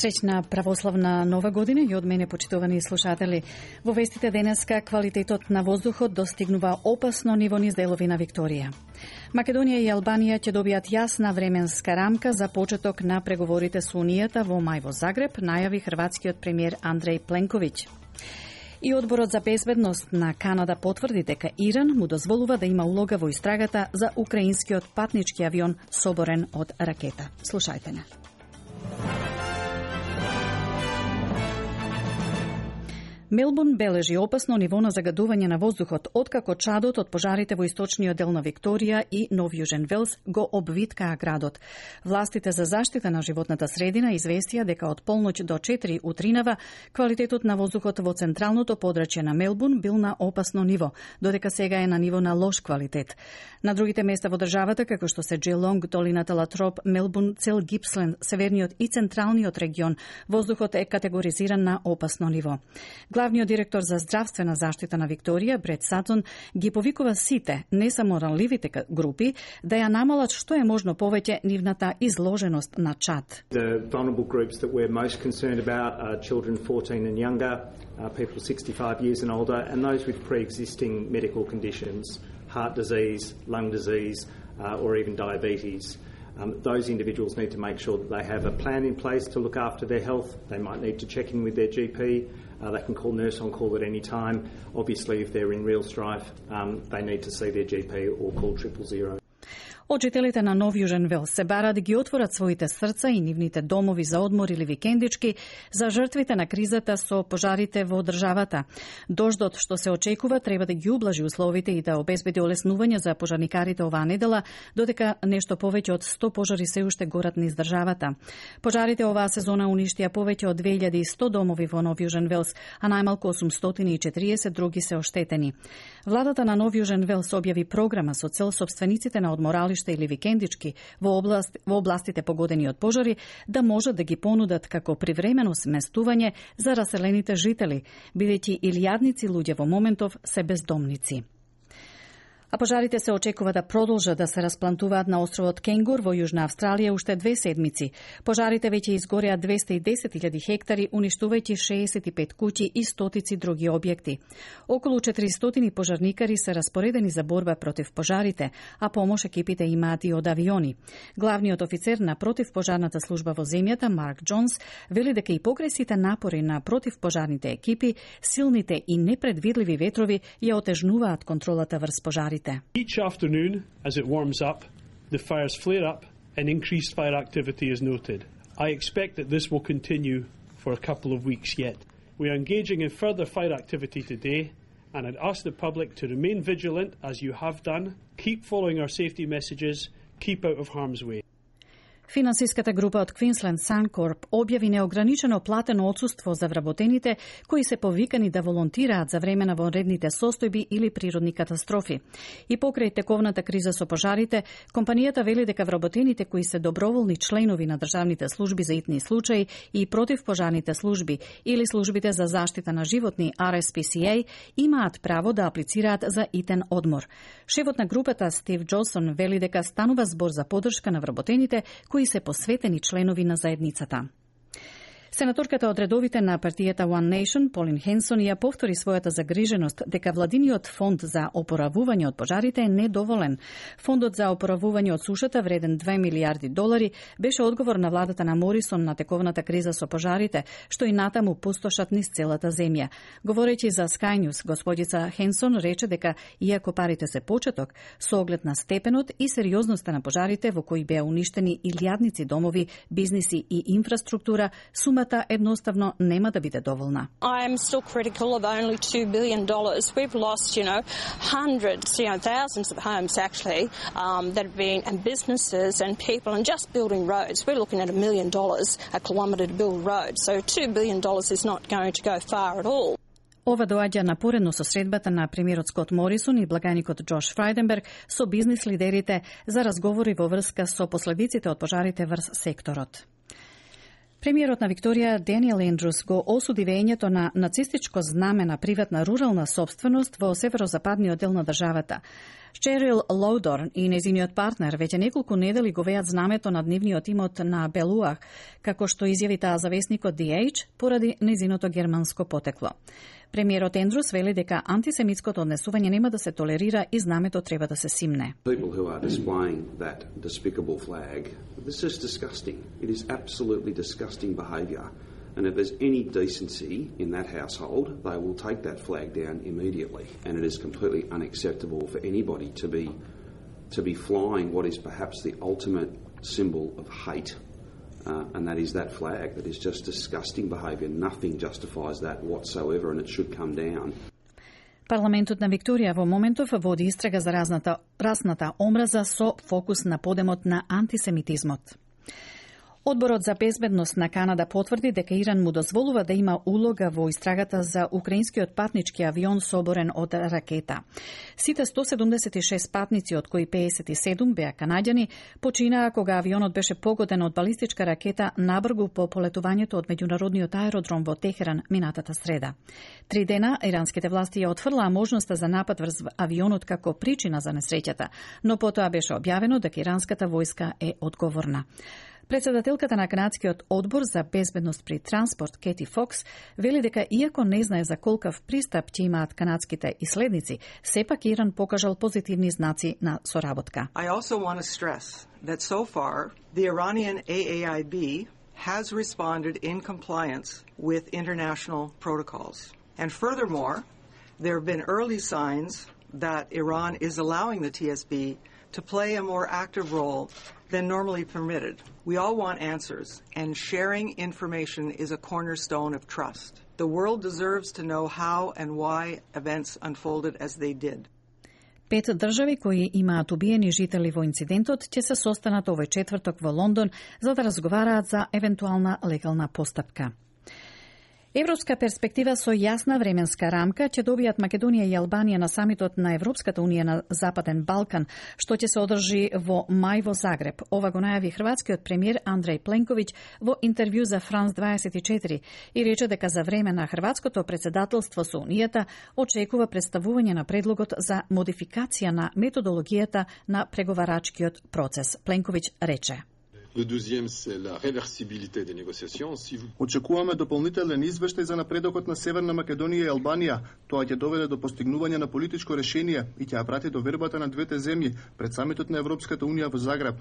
Среќна православна нова година и од мене, почитувани слушатели. Во вестите денеска квалитетот на воздухот достигнува опасно ниво низ делови на Викторија. Македонија и Албанија ќе добијат јасна временска рамка за почеток на преговорите со Унијата во мај во Загреб, најави хрватскиот премиер Андреј Пленковиќ. И Одборот за безбедност на Канада потврди дека Иран му дозволува да има улога во истрагата за украинскиот патнички авион соборен од ракета. Слушајте не. Мелбурн бележи опасно ниво на загадување на воздухот, откако чадот од пожарите во источниот дел на Викторија и Нов Јужен Велс го обвиткаа градот. Властите за заштита на животната средина известија дека од полноќ до 4 утринава квалитетот на воздухот во централното подрачје на Мелбурн бил на опасно ниво, додека сега е на ниво на лош квалитет. На другите места во државата, како што се Джелонг, долината Латроп, Мелбурн, цел Гипсленд, северниот и централниот регион, воздухот е категоризиран на опасно ниво. Главниот директор за здравствена заштита на Викторија, Брет Сатон, ги повикува сите, не само ранливите групи, да ја намалат што е можно повеќе нивната изложеност на чад. The vulnerable groups that we're most concerned about are children 14 and younger, people 65 years and older, and those with pre-existing medical conditions, heart disease, lung disease, or even diabetes. Those individuals need to make sure that they have a plan in place to look after their health. They might need to check in with their GP. They can call Nurse on Call at any time. Obviously, if they're in real strife, they need to see their GP or call 000. Очителите на Нов Јужен Велс се бараат да ги отворат своите срца и нивните домови за одмор или викендички за жртвите на кризата со пожарите во државата. Дождот што се очекува треба да ги ублажи условите и да обезбеди олеснување за пожарникарите оваа недела, додека нешто повеќе од 100 пожари се уште горат низ државата. Пожарите оваа сезона уништија повеќе од 2100 домови во Нов Јужен Велс, а најмалку 840 други се оштетени. Владата на Нов Јужен Велс објави програма со цел сопствениците на одморалишта или викендички во областите погодени од пожари да можат да ги понудат како привремено сместување за раселените жители, бидејќи илјадници луѓе во моментов се бездомници. А пожарите се очекува да продолжат да се расплантуваат на островот Кенгур во Јужна Австралија уште 2 седмици. Пожарите веќе изгореа 210.000 хектари, уништувајќи 65 куќи и стотици други објекти. Околу 400 пожарникари се распоредени за борба против пожарите, а помош екипите имаат и од авиони. Главниот офицер на противпожарната служба во земјата, Марк Джонс, вели дека и покрај сите напори на противпожарните екипи, силните и непредвидливи ветрови ја отежнуваат контролата врз пожарите. Each afternoon, as it warms up, the fires flare up and increased fire activity is noted. I expect that this will continue for a couple of weeks yet. We are engaging in further fire activity today, and I'd ask the public to remain vigilant as you have done, keep following our safety messages, keep out of harm's way. Финансиската група од Queensland Suncorp објави неограничено платено отсуство за вработените кои се повикани да волонтираат за време на вонредните состојби или природни катастрофи. И покрај тековната криза со пожарите, компанијата вели дека вработените кои се доброволни членови на државните служби за итни случаи и противпожарните служби или службите за заштита на животни RSPCA имаат право да аплицираат за итен одмор. Шефот на групата Стив Джонсон вели дека станува збор за поддршка на вработените кои се посветени членови на заедницата. Сенаторката од редовите на партијата One Nation, Полин Хенсон, ја повтори својата загриженост дека владиниот фонд за опоравување од пожарите е недоволен. Фондот за опоравување од сушата, вреден $2 милиарди, беше одговор на владата на Морисон на тековната криза со пожарите, што и натаму пустошат низ целата земја. Говорејќи за Sky News, господица Хенсон рече дека, иако парите се почеток, со оглед на степенот и сериозноста на пожарите во кои беа уништени илјадници домови, бизниси и инфраструктура, сумата едноставно нема да биде доволна. I am still critical of only $2 billion. We've lost, hundreds, thousands of homes actually that have been, and businesses and people, and just building roads. We're looking at $1 million a kilometre to build roads. So $2 billion is not going to go far at all. Ова доаѓа напоредно со средбата на премиерот Скот Морисон и благаникот Джош Фрајденберг со бизнис лидерите за разговори во врска со последиците од пожарите врз секторот. Премиерот на Викторија Даниел Ендрус го осуди веењето на нацистичко знаме на приватна рурална сопственост во северозападниот дел на државата. Шерил Лоудорн и нејзиниот партнер веќе неколку недели го веат знамето над нивниот имот на Белуах, како што изјави таа за весникот The Age поради нејзиното германско потекло. Премиерот Ендрус вели дека антисемитското однесување нема да се толерира и знамето треба да се симне. People who are displaying that despicable flag, this is disgusting. It is absolutely disgusting behaviour. And if there's any decency in that household, they will take that flag down immediately. And it is completely unacceptable for anybody to be flying what is perhaps the ultimate symbol of hate. And that is that flag. That is just disgusting behaviour. Nothing justifies that whatsoever, and it should come down. Парламентот на Викторија во моментов води истрага за расната омраза со фокус на подемот на антисемитизмот. Одборот за безбедност на Канада потврди дека Иран му дозволува да има улога во истрагата за украинскиот патнички авион соборен од ракета. Сите 176 патници, од кои 57 беа канаѓани, починаа кога авионот беше погоден од балистичка ракета набргу по полетувањето од меѓународниот аеродром во Техеран минатата среда. 3 дена иранските власти ја отфрлаа можноста за напад врз авионот како причина за несреќата, но потоа беше објавено дека иранската војска е одговорна. Председателката на канадскиот одбор за безбедност при транспорт Кети Фокс вели дека иако не знае за колкав пристап ќе имаат канадските иследници, сепак Иран покажал позитивни знаци на соработка. I also want to stress that so far the Iranian AAIB has responded in compliance with international protocols. And furthermore, there have been early signs that Iran is allowing the TSB to play a more active role than normally permitted. We all want answers, and sharing information is a cornerstone of trust. The world deserves to know how and why events unfolded as they did. 5 држави кои имаат убиени жители во инцидентот ќе се состанат овој четврток во Лондон за да разговараат за евентуална легална постапка. Европска перспектива со јасна временска рамка ќе добијат Македонија и Албанија на самитот на Европската унија на Западен Балкан, што ќе се одржи во мај во Загреб. Ова го најави хрватскиот премиер Андреј Пленковиќ во интервју за Франс 24 и рече дека за време на хрватското председателство со Унијата очекува представување на предлогот за модификација на методологијата на преговарачкиот процес. Пленковиќ рече: Le deuxième, c'est la réversibilité des négociations. Очекуваме дополнителен извештај за напредокот на Северна Македонија и Албанија. Тоа ќе доведе до постигнување на политичко решение и ќе ја прати до вербата на двете земји пред самитот на Европската унија во Загреб.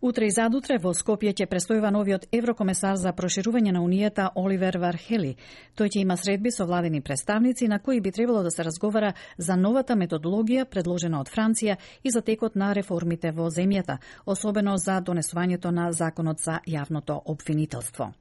Утре и задутре во Скопје ќе престојува новиот еврокомесар за проширување на Унијата Оливер Вархели. Тој ќе има средби со владени представници на кои би требало да се разговара за новата методологија предложена од Франција и за текот на реформите во земјата, особено за донесувањето на законот за јавното обвинителство.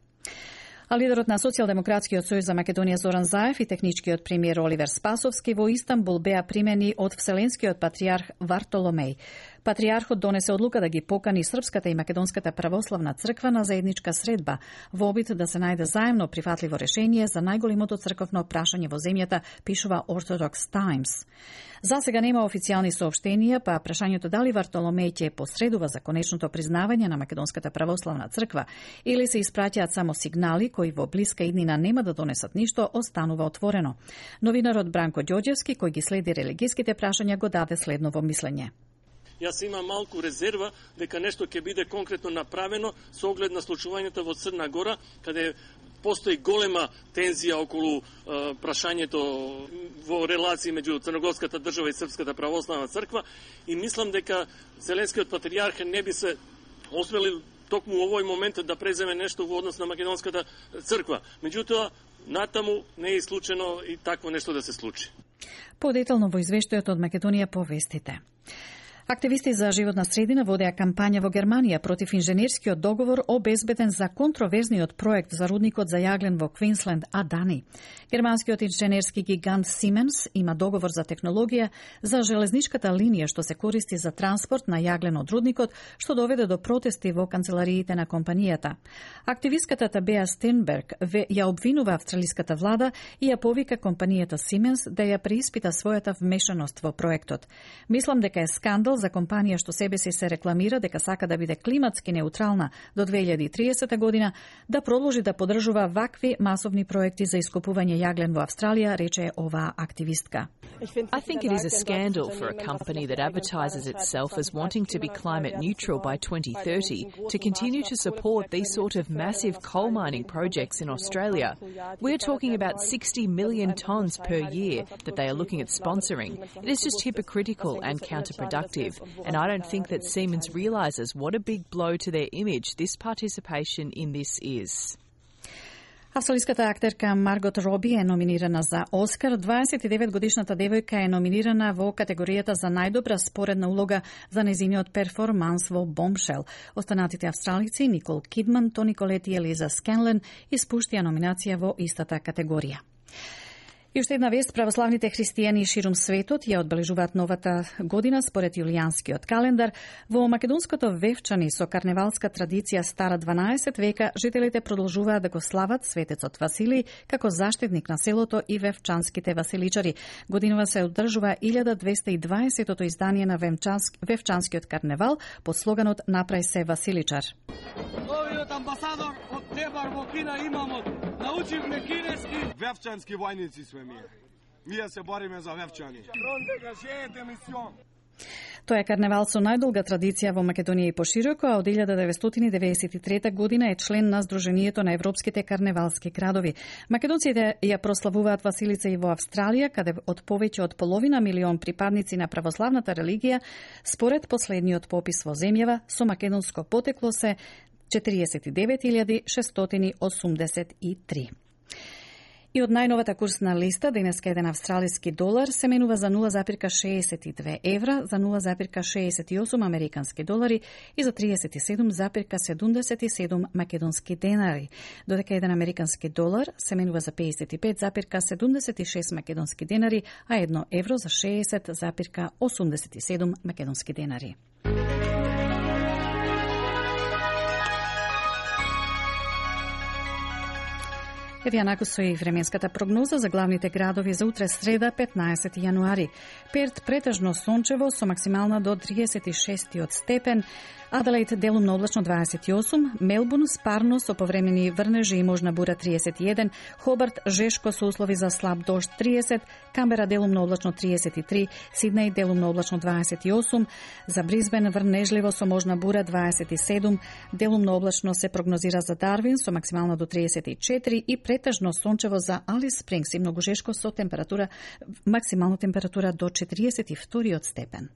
А лидерот на Социјалдемократскиот сојуз за Македонија Зоран Заев и техничкиот премиер Оливер Спасовски во Истанбул беа примени од Вселенскиот патријарх Вартоломеј. Патријархот донесе одлука да ги покани Српската и Македонската православна црква на заедничка средба во обид да се најде заемно прифатливо решение за најголемото црковно прашање во земјата, пишува Orthodox Times. За сега нема официјални соопштенија, па прашањето дали Вартоломеј ќе посредува за конечното признавање на Македонската православна црква или се испраќаат само сигнали кои во блиска иднина нема да донесат ништо, останува отворено. Новинарот Бранко Ѓоѓевски, кој ги следи религиските прашања, го даде следново мислење. Јас имам малку резерва дека нешто ќе биде конкретно направено со оглед на случувањето во Црна Гора, каде постои голема тензија околу прашањето во релации меѓу Црногорската држава и Српската православна црква и мислам дека Вселенскиот патријарх не би се осмелил токму овој момент да преземе нешто во однос на Македонската црква. Меѓутоа, натаму не е исклучено и такво нешто да се случи. Подетално во извештајот од Македонија повестите. Активисти за животна средина водеа кампања во Германија против инженерскиот договор обезбеден за контроверзниот проект за рудникот за јаглен во Квинсленд, Адани. Германскиот инженерски гигант Siemens има договор за технологија за железничката линија што се користи за транспорт на јаглен од рудникот, што доведе до протести во канцелариите на компанијата. Активистката Табеа Стенберг ја обвинува австралиската влада и ја повика компанијата Siemens да ја преиспита својата вмешаност во проектот. Мислам дека е скандал за компанија што себе си се рекламира дека сака да биде климатски неутрална до 2030 година, да продолжи да поддржува вакви масовни проекти за искупување јаглен во Австралија, рече оваа активистка. I think it is a scandal for a company that advertises itself as wanting to be climate neutral by 2030 to continue to support these sort of massive coal mining projects in Australia. We're talking about 60 million tonnes per year that they are looking at sponsoring. It is just hypocritical and counterproductive, and I don't think that Siemens realises what a big blow to their image this participation in this is. Австралиската актерка Маргот Роби е номинирана за Оскар. 29-годишната девојка е номинирана во категоријата за најдобра споредна улога за нејзиниот перформанс во Бомшел. Останатите австралици Никол Кидман, Тони Колет и Елиза Скенлен испуштија номинација во истата категорија. И уште една вест, православните христијани ширум светот ја одбележуваат новата година според јулијанскиот календар. Во македонското Вевчани со карневалска традиција стара 12 века, жителите продолжуваат да го слават светецот Василий како заштитник на селото и вевчанските василичари. Годинава се одржува 1220-тото издание на Вевчанскиот карневал под слоганот "Направи се Василичар". Новиот амбасадор од Тебар во Кина имамо. Научивме кинески. Вевчански војници сме ние. Ние се бориме за Вевчани. Фронте гажете мисион. Тоа е карневал со најдолга традиција во Македонија и пошироко, а од 1993 година е член на Сдруженијето на европските карневалски градови. Македонците ја прославуваат Василица и во Австралија, каде од повеќе од половина милион припадници на православната религија, според последниот попис во земјава, со македонско потекло се 49.683. И од најновата курсна листа, денеска еден австралиски долар се менува за 0,62 евра, за 0,68 американски долари и за 37,77 македонски денари, додека еден американски долар се менува за 55,76 македонски денари, а 1 евро за 60,87 македонски денари. Еве јанако со и временската прогноза за главните градови за утре среда 15 јануари. Перт претежно сончево со максимална до 36 степен, Аделаид делумно облачно 28, Мелбурн спарно со повремени врнежи и можна бура 31, Хобарт жешко со услови за слаб дожд 30, Камбера делумно облачно 33, Сиднеј делумно облачно 28, за Бризбен врнежливо со можна бура 27, делумно облачно се прогнозира за Дарвин со максимално до 34 и претежно сончево за Алис Спрингс и многу жешко со максимална температура до 42 степен.